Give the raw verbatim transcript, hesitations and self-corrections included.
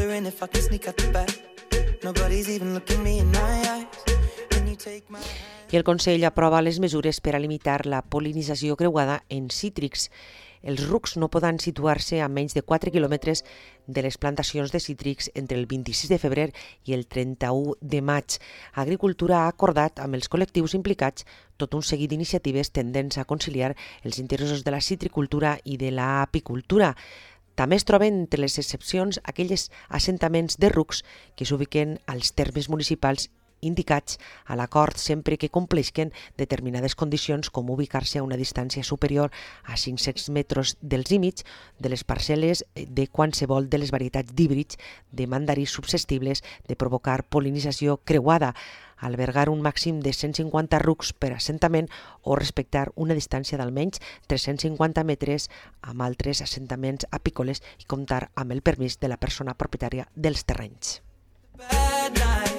wondering if I can sneak out the back. Nobody's even looking me in my eyes. Can you take my hand? I el Consell aprova les mesures per a limitar la pol·linització creuada en cítrics. Els rucs no poden situar-se a menys de quatre quilòmetres de les plantacions de cítrics entre el vint-i-sis de febrer i el trenta-u de maig. Agricultura ha acordat amb els col·lectius implicats tot un seguit d'iniciatives tendents a conciliar els interessos de la citricultura i de l'apicultura. També es troben entre les excepcions aquells assentaments de rucs que s'ubiquen als termes municipals indicats a l'acord sempre que compleixen determinades condicions, com ubicar-se a una distància superior a cinc-cents metres dels límits de les parcel·les de qualsevol de les varietats d'híbrids de mandarís susceptibles de provocar pol·linització creuada, albergar un màxim de cent cinquanta rucs per assentament o respectar una distància d'almenys tres-cents cinquanta metres amb altres assentaments apícoles i comptar amb el permís de la persona propietària dels terrenys. Bad night.